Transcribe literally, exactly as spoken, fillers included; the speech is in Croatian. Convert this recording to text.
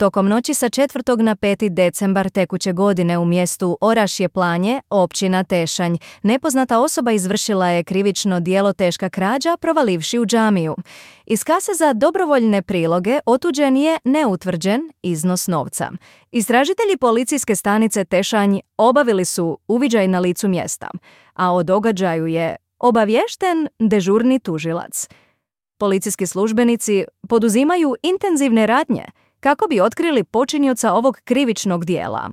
Tokom noći sa četvrtog na peti decembar tekuće godine u mjestu Orašje Planje, općina Tešanj, nepoznata osoba izvršila je krivično djelo teška krađa provalivši u džamiju. Iz kase za dobrovoljne priloge otuđen je neutvrđen iznos novca. Istražitelji policijske stanice Tešanj obavili su uviđaj na licu mjesta, a o događaju je obaviješten dežurni tužilac. Policijski službenici poduzimaju intenzivne radnje kako bi otkrili počinioca ovog krivičnog djela.